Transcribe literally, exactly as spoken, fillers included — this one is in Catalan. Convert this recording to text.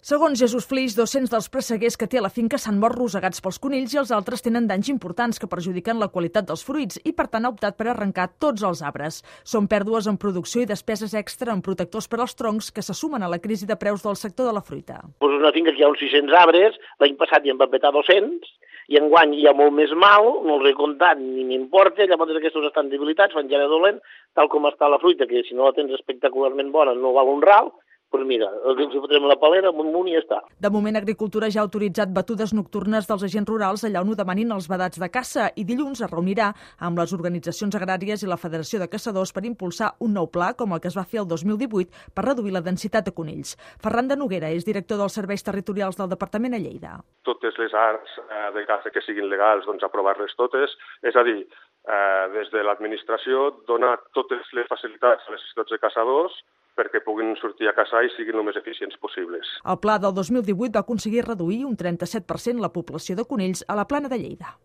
Segons Jesús Flix, dos-cents dels presseguers que té a la finca s'han mort rosegats pels conills i els altres tenen danys importants que perjudiquen la qualitat dels fruits i, per tant, ha optat per arrencar tots els arbres. Són pèrdues en producció i despeses extra en protectors per als troncs que se sumen a la crisi de preus del sector de la fruita. Pues una finca que hi ha uns sis-cents arbres, l'any passat hi en van petar dos-cents, i enguany hi ha molt més mal, no els he comptat ni m'importa, llavors aquests estan debilitats, van ja dolent, tal com està la fruita, que si no la tens espectacularment bona no val un ral. Doncs mira, els fotrem la palera, un munt i ja està. De moment, Agricultura ja ha autoritzat batudes nocturnes dels agents rurals allà on ho demanin els vedats de caça i dilluns es reunirà amb les organitzacions agràries i la Federació de Caçadors per impulsar un nou pla, com el que es va fer el dos mil divuit, per reduir la densitat de conills. Ferran de Noguera és director dels serveis territorials del Departament a Lleida. Totes les arts de caça que siguin legals, doncs aprovar-les totes, és a dir, eh, des de l'administració donar totes les facilitats a les societats de caçadors perquè puguin sortir a caçar i siguin el més eficients possibles. El pla del dos mil divuit va aconseguir reduir un trenta-set per cent la població de conills a la Plana de Lleida.